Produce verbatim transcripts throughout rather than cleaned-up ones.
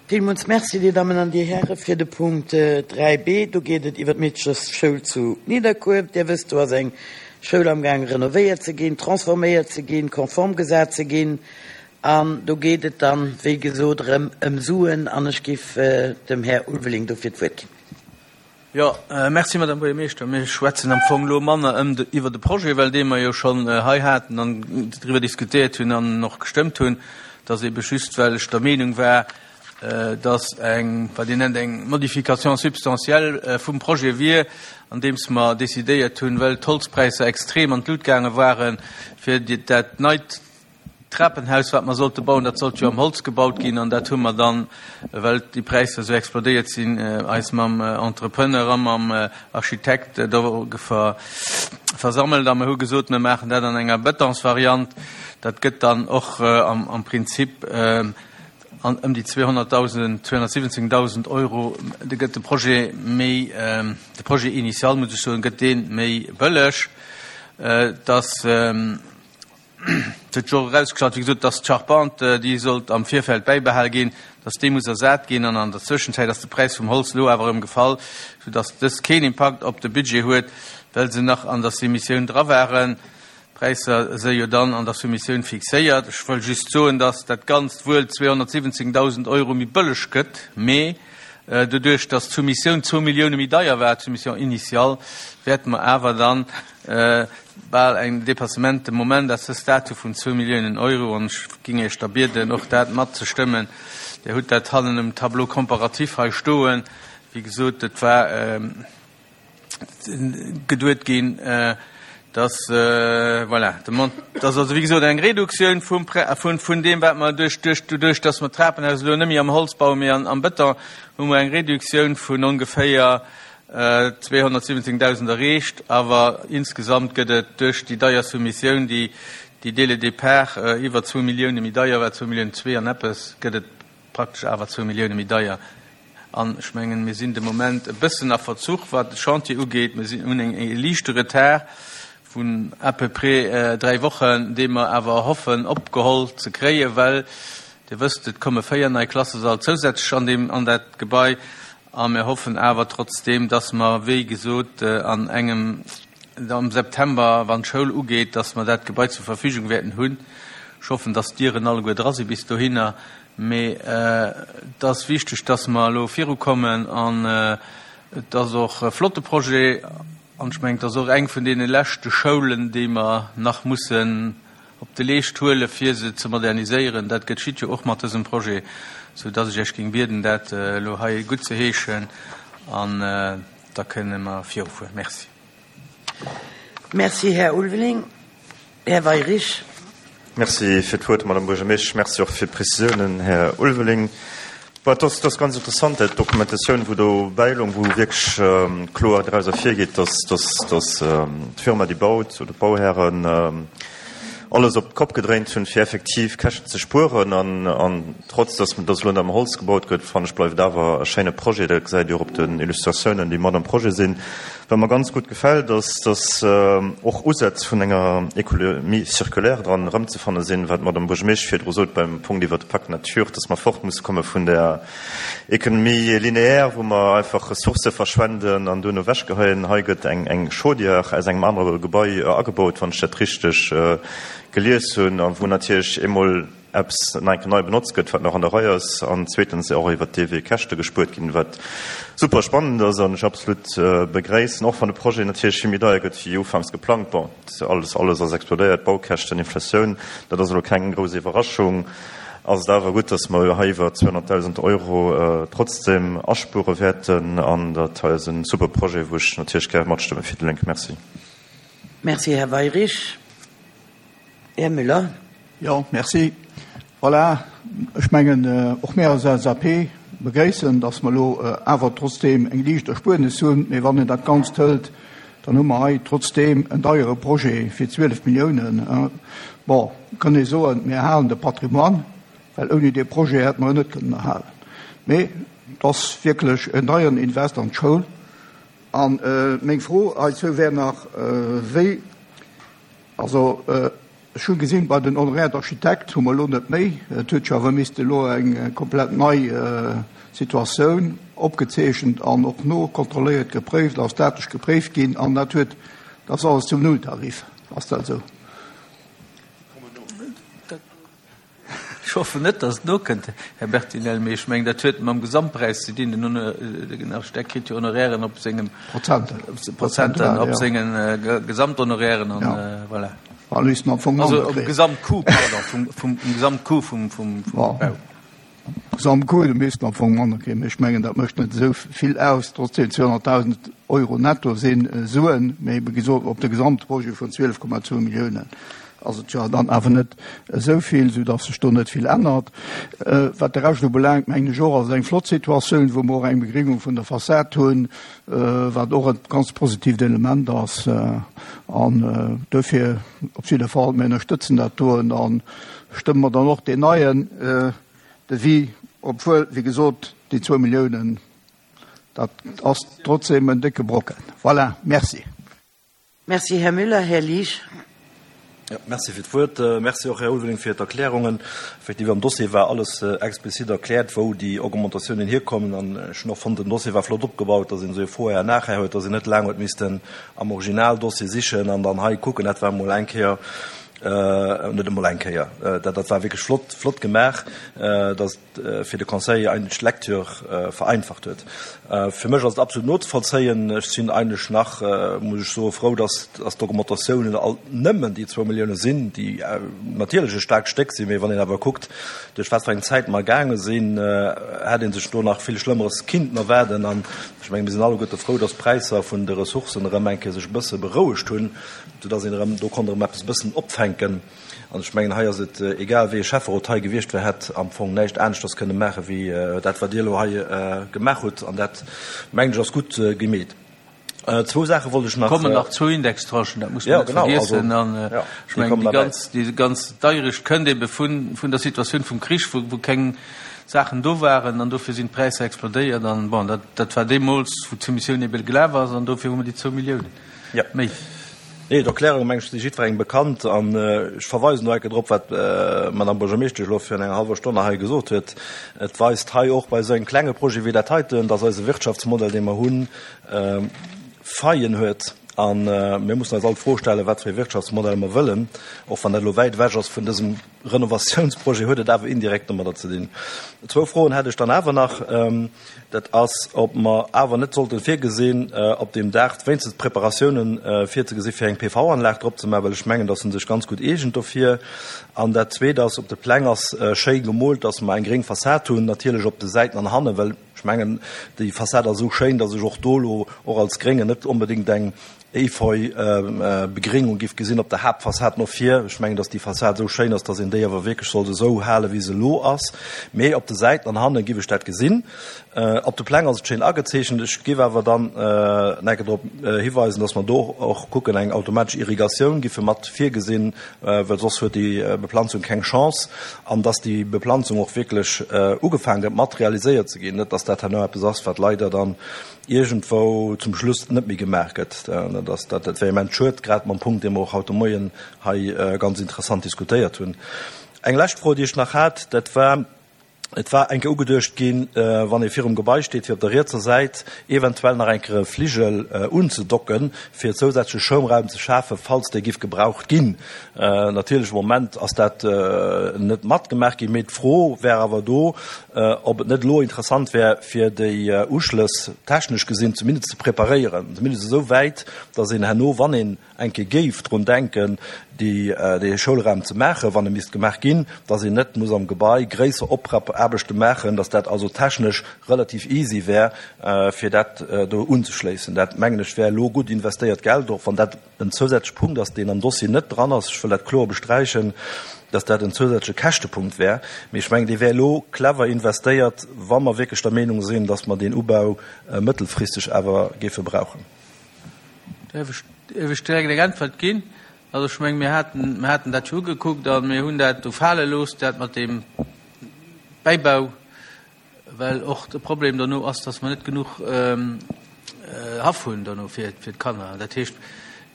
Villmools Merci, Dir Dammen an Dir Hären, fir de Punkt dräi b. Do geet et iwwer d'Meedchesschoul zu Nidderkuer. Dir wësst, do ass eng Schoul amgaang renovéiert ze ginn, transforméiert ze ginn, konform gesat ze ginn. An do geet et dann, wéi gesot, erëm ëm Suen. An ech géif dem Här Ulveling dofir d'Wuert ginn. Jo, merci, Madame Buergermeeschter. Mir schwätzen am Fong elo manner ëm de, iwwer de Projet, well dee mer jo schonn hei haten an driwwer diskutéiert hunn an och gestëmmt hunn. Et ass ebe just, well ech der Meenung war, dass eng, wat Dir nennt, eng Modification substantielle vum Projet wier, andeems mer decidéiert hunn, well d'Holzpräisser extrem an d'Lut gaange waren, fir dat neit Trapenhaus, wat mer sollte bauen, dat sollt jo am Holz gebaut ginn, an dat hu mer dann, well déi Präisser esou explodéiert sinn, eis mam Entrepreneur a mam Architekt do versammelt a mer hu gesot, mir maachen dat an enger Betonsvariant. Dat gëtt dann och am Prinzip an ëm déi zweehonnertdausend, zweehonnertsiwwenzéngdausend Euro, da gëtt de Projet méi, de Projet initial, muss ech soen, gëtt dee méi bëlleg. Dass huet sech och erausgestallt, wéi gesot, dass d'Charpente, déi sollt am Virfeld bäibehal ginn, dass déi muss ersat ginn. An an der Zwëschenzäit ass de Präis vum Holz elo awer erëm gefall, soudass dës keen Impakt op de Budget huet, well se nach an der Soumissioun dra waren. D'Präisser si jo dann an der Soumissioun fixéiert. Ech wëll just soen, dass dat Ganzt wuel zweehonnertsiwwenzéngdausend Euro méi bëlleg gëtt, mee doduerch, dass d'Soumissioun zwou Millioune méi deier war, d'Soumission initiale, wäerte mer awer dann bal en Dépassement de Moment à ce stade vun zwou Milliounen Euro. An ech géing Iech da bieden, och dat matzestëmmen. Dir hutt dat hannen um Tableau comparatif hei stoen. Wéi gesot, et war geduet ginn, dass, voilà, de Mont, dass also wéi gesot eng Reduktioun vum Prä, vun, vun deem, wat mer duerch, duerch, doduerch, dass mer d'Trapenhaus elo net méi am Holz bauen, mee an, am Bëton, hu mer eng Reduktioun vun ongeféier zweehonnertsiwwenzéngdausend erreecht. Awer insgesamt gëtt et duerch déi deier Soumissioun, déi, déi dès le départ iwwer zwou Millioune méi deier war, zwou Milliounen zwee an eppes, gëtt et praktesch awer zwou Millioune méi deier. An ech mengen, mir sinn de Moment e bëssen a Verzuch, wat de Chantier ugeet. Mir sinn, hunn eng, e liichte Retard vun à peu près dräi Wochen, dee mer awer hoffen opgeholl ze kréien, well Dir wësst, et komme véier nei Klassesall zousätzlech an deem, an dat Gebai. A mir hoffen awer trotzdeem, dass mer, wéi gesot, an engem, am September, wann d'Schoul ugeet, dass mer dat Gebai zur Verfügung wäerten hunn. Ech hoffen, dass d'Dieren alleguer dra si bis dohinner. Mee et ass wichteg, dass mer elo virukommen. An et ass och e flotte Projet. An ech mengen, et ass och eng vun deene leschte Schoulen, déi mer nach mussen op de Leescht huelen, fir se ze moderniséieren. Dat geschitt jo och mat dësem Projet, soudass ech Iech géing bieden, dat elo hei guttzeheeschen, an da kënne mer virufueren. Merci. Merci, Här Ulveling. Här Weyrich. Merci fir d'Wuert, Madame Buergermeeschtesch. Merci och fir d'Prezisiounen, Här Ulveling. Bon, dat ass, dat ass ganz interessant, dat d'Dokumentatioun, wou do bäiloung, wou wierklech kloer draus ervirgeet, dass, dass, dass d'Firma, déi baut, oder d'Bauhären alles op d'Kopp gedréint hunn, fir effektiv Käschten ze spueren. An, an trotz, dass, dass elo am Holz gebaut gëtt, fannen ech, bleift et awer e schéine Projet. Dat gesäit Dir och op den Illustratiounen, déi mat am Projet sinn. Wat mer ganz gutt gefält, ass, dass och Usätz vun enger Économie circulaire dran erëmzefanne sinn, wat d'Madame Buergermeeschtesch virdru sot beim Punkt iwwert de Pacte nature, dass mer fort musse komme vun der Économie linéaire, wou mer einfach Ressourcë verschwenden an duerno ewechgeheien. Hei gëtt eng eng Chaudière aus engem anere Gebai agebaut, wann ech dat richteg gelies hunn, a wou natierlech eemol eppes nach eng Kéier nei benotzt gëtt, wat nach an der Rei ass, an zweetens och iwwert dee Wee Käschte gespuert ginn, wat super spannend ass an ech absolut begréissen, och wann de Projet natierlech vill méi deier gëtt wéi ufanks geplangt. Bon, alles, alles ass explodéiert, Baukäschten, Inflatioun, dat ass elo keng grouss Iwwerraschung. Ass et awer gutt, datt mer hei iwwer zweehonnertdausend Euro trotzdem aspuere wäerten, an dat hei ass e super Projet, wou ech natierlech gär matstëmme fir déi Lénk. Merci. Merci, Här Weyrich. Här Müller. Jo, merci. Voilà, ech mengen, och mir als L S A P begréissen, dass mer elo awer trotzdeem eng liicht Erspuernis hunn. Mee wann een dat Ganzt hëlt, dann hu mer hei trotzdeem en deiere Projet fir zwielef Milliounen. Bon, kann ee soen, mir erhalen de Patrimoine, well ouni dee Projet hätte mer en net kënnen erhalen. Mee et ass wierklech en deieren Invest an d'Schoul. An meng Fro heizou wär nach, wéi, also Ech hu gesinn, bei den Honoraires d'architecte hu mer elo net méi. Et huet jo awer misste elo eng komplett nei Situatioun opgezeechent an och nokontrolléiert, gepréift a statesch gepréift ginn. An dat huet, dat ass alles zum Nulltarif. Ass dat esou? Ech hoffen net, datt et nokënnt, Här Bertinel, mee ech mengen, dat huet mam Gesamtpräis ze dinn. Den Architekt kritt jo Honorairen op sengem Prozenter, Prozenter op senge Gesamthonorairen an voilà. Also um Gesamtcoût, pardon, vum, vum Gesamtcoût vum, vum, vum Bau. Gesamtcoût, do missten am Fong manner kréien. Mee ech mengen, dat mécht net esou vill aus. Trotzdem, zweehonnertdausend Euro netto si Suen, mee wéi gesot, op de Gesamtprojet vun zwielef Komma zwou Milliounen ass et jo dann awer net esou vill, soudass sech do net vill ännert. Wat de Rescht ubelaangt, mengen ech och, ass et eng flott Situatioun, wou mer och eng Begréngung vun der Fassad hunn, wat och e ganz positiivt Element ass. An dofir op jidde Fall, mir ënnerstëtzen dat doen a stëmme mer dann och deen neien Devis, obwuel, wéi gesot, déi zwou Milliounen, dat ass trotzdem en décke Brocken. Voilà, merci. Merci, Här Müller. Här Liesch. Ja, merci fir d'Wuert. Merci och, Här Ulveling, fir d'Erklärungen. Effektiv, am Dossier war alles explizit erkläert, wou déi Augmentatiounen hierkommen. An ech hunn och fonnt, den Dossier war flott opgebaut, dass een esou e Vorher an Nachher huet, dass een net laang huet missten am Originaldossier sichen an dann hei kucken. Dat war emol eng Kéier, net emol eng Kéier, dat, dat war wierklech flott, flott gemaach, dass et fir de Conseil eigentlech d'Lecture vereinfacht huet. Fir mech ass et absolut nozevollzéien. Ech sinn eigentlech nach, muss ech soen, frou, dass, dass d'Augmentatiounen alt nëmmen déi zwou Millioune sinn, déi natierlech e staarkt Stéck sinn, mee wann een awer kuckt, duerch wat fir eng Zäit mer gaange sinn, hätt ee sech do nach vill Schlëmmeres kinnten erwaarden. An ech mengen, mir sinn alleguerte frou, dass d'Präisser vun de Ressourcen erëm eng Kéier sech e bësse berouegt hunn, soudass een erëm do konnt erëm eppes e bëssen opfänken. An ech mengen, hei ass et egal, wéi e Schäfferot hei gewiescht wär, hätt am Fong näischt aneschters kënne maache wéi dat, wat Dir elo hei gemaach hutt. An dat, mengen ech, ass gutt gemeet. Zwou Saache wollt ech nach. Kommen nach zwou Indextranchen, dat muss man net vergiessen. An ech mengen, déi ganz, déi ganz Deierecht kënnt ebe vun, vun der Situatioun vum Krich, wou, wou keng Saachen do waren an dofir sinn d'Präisser explodéiert. An bon, dat, dat war deemools, wou d'Soumissioun ebe gelaf ass an dofir hu mer déi zwou Milliounen méi. Nee, d'Erklärung, meng ech, si jiddwerengem bekannt. An ech verweisen do enke drop, wat d'Madame Buergermeeschtesch elo virun enger hallwer Stonn nach hei gesot huet. Et weist hei och bei esou engem klenge Projet wéi dat heiten, dass eise Wirtschaftsmodell, dee mer hunn, Faillen huet. A mir mussen eis all d'Fro stellen, wat fir ee Wirtschaftsmodell mer wëllen. Och wann dat elo wäit ewech ass vun dësem Renovatiounsprojet, huet et awer indirekt domadder ze dinn. Zwou Froen hätt ech dann awer nach. Dat ass, ob mer awer net sollten virgesinn, op deem Daach wéinstens d'Preparatiounen virzegesi fir eng P V-Anlag drop ze maachen, well ech mengen, dass se sech ganz gutt eegent dofir. An dat Zweet ass, op de Pläng ass schéi gemoolt, dass mer eng gréng Fassad hunn, natierlech op de Säiten an hannen, well ech mengen, déi Fassad ass esou schéin, dass ech och do elo och als Gréngen net onbedéngt eng Efeu-Begréngung giff gesinn op der Haaptfassad no vir. Ech mengen, dass déi Fassad esou schéin ass, dass een déi awer wierklech sollt esou halen, wéi se elo ass. Mee op de Säiten an hanne giff ech dat gesinn. Op de Pläng ass et schéin agezeechent. Ech giff awer dann enke drop hiweisen, dass mer do och kucken, eng automatesch Irrigatioun giffe mat virgesinn, well soss huet déi Beplanzung keng Chance. An dass déi Beplanzung och wierklech ugefaangen gëtt mat realiséiert ze ginn, net dass dat herno eppes ass, wat leider dann iergendwou zum Schluss net méi gemaach gëtt. Dat ass, dat wär immens schued, grad mam Punkt, dee mer och haut de Moien hei ganz interessant diskutéiert hunn. Eng lescht Fro, déi ech nach hat, dat war, et war eng Kéier ugeduecht ginn, wann ee virum Gebai steet, fir op der rietser Säit eventuell nach eng Kéier e Fligel unzedocken, fir zousätzleche Schoumraum ze schafen, falls dee giff gebraucht ginn. Natierlech am Moment ass dat net matgemaach ginn, mee d'Fro wär awer do, ob et net elo interessant wär, fir déi Uschlëss technesch gesinn zumindest ze preparéieren, zumindest esou wäit, datt een herno, wann een eng Kéier géif drun denken, déi, dee Schoulraum ze maachen, wann e misst gemaach ginn, datt een net muss am Gebai gréisser Oprappaarbechte maachen, datt dat also technesch relativ easy wär, fir dat do unzeschléissen. Dat, mengen ech, wär elo gutt investéiert Geld, och wann dat en zousätzleche Punkt ass, deen am Dossier net dran ass. Ech wëll dat kloer besträichen, dass dat en zousätzleche Käschtepunkt wär. Mee ech mengen, dee wär elo clever investéiert, wa mer wierklech der Meenung sinn, dass mer deen Ubau mëttelfristeg awer géife brauchen. Däerf ech, däerf ech direkt eng Äntwert ginn? Also ech mengen, mir haten, mir haten dat jo ugekuckt a mir hunn dat do fale looss, dat mat deem Bäibau, well och de Problem dono ass, dass mer net genuch Haff hunn dono fir, fir d'Kanner. Dat heescht,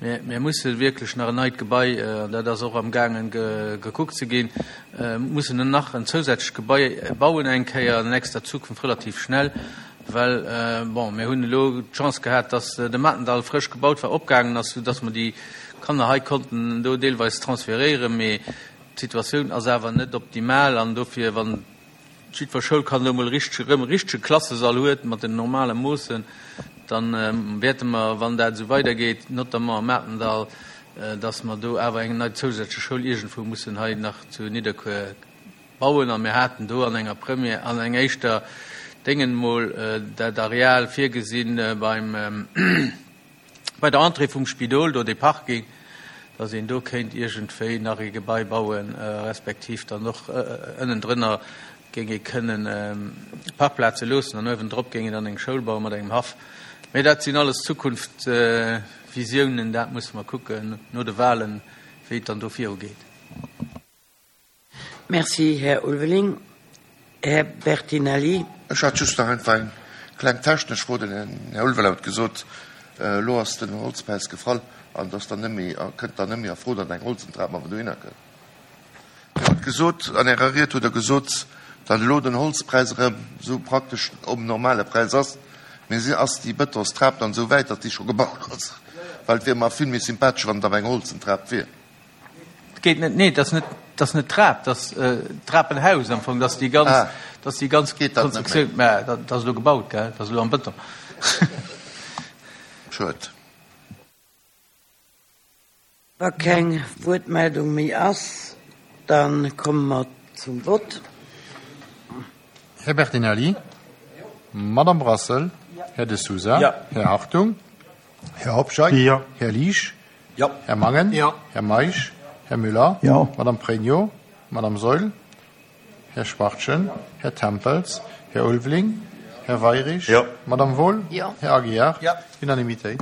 Mir, mir musse wierklech nach en neit Gebai, an dat ass och amgaangen gekuckt ze ginn, mussen nach en zousätzlecht Gebai bauen eng Kéier an nächster Zukunft relativ schnell, well, bon, mir hunn elo d'Chance gehat, dass de Matendall frësch gebaut war, opgaangen ass, soudass mer déi Kanner hei konnten do deelweis transferéieren, mee d'Situatioun ass awer net optimal an dofir, wann jiddwer Schoulkand elo mol richteg, erëm e richtege Klassesall huet mat den normale Moossen, da wäerte mer, wann dat esou weidergeet, notamment am Matendall, dass mer do awer eng nei zousätzlech Schoul iergendwou mussen hei nach zu Nidderkuer bauen. A mir haten do an enger Première, an enger éischter Déngen emol dat Areal virgesinn beim, bei der Entrée vum Spidol, do dee Parking, dass een do kéint iergendwéi nach ee Gebai bauen, respektiv dann och ënnendrënner géing ee kënnen Parkplaze loossen an uewendrop géing een dann eng Schoul bauen mat engem Haff. Mee dat sinn alles Zukunftsvisiounen, dat musse mer kucken no de Wahlen, wéi et dann do virugeet. Merci, Här Ulveling. Här Bertinelli. Ech hat just nach einfach eng kleng technesch Fro. Den Här Ulveling huet gesot, elo ass den Holzpräis gefall an et ass dann net méi, kënnt dann net méi a Fro, datt eng Holzentrap awer dohinner kënnt. Dir hutt gesot, an Ärer Ried hutt Der gesot, datt elo den Holzpräis erëm esou praktesch um normale Präis ass. Mee si, ass déi Bëtonstrap dann esou wäit, datt déi scho gebaut ass? Well et wier mer vill méi sympathesch, wann et awer eng holzen Trap wier. Et geet net, nee, et ass net, et ass net d'Trap, et ass d'Trapenhaus am Fong, et ass déi ganz, et ass déi ganz Geet dat net méi? Konstruktioun. Mä dat ass elo gebaut, gell, dat ass elo am Bëton. Schued. Wa keng Wuertmeldung méi ass, da komme mer zum Vott. Här Bertinelli? Madame Brassel? Här De Sousa? Här Hartung? Här Hobscheit? Här Liesch? Här Mangen? Här Meisch? Här Müller? Madame Pregno? Madame Saeul? Här Schwachtgen? Här Tempels? Här Ulveling? Här Weyrich? Madame Wohl? Här Aguiar? Unanimitéit.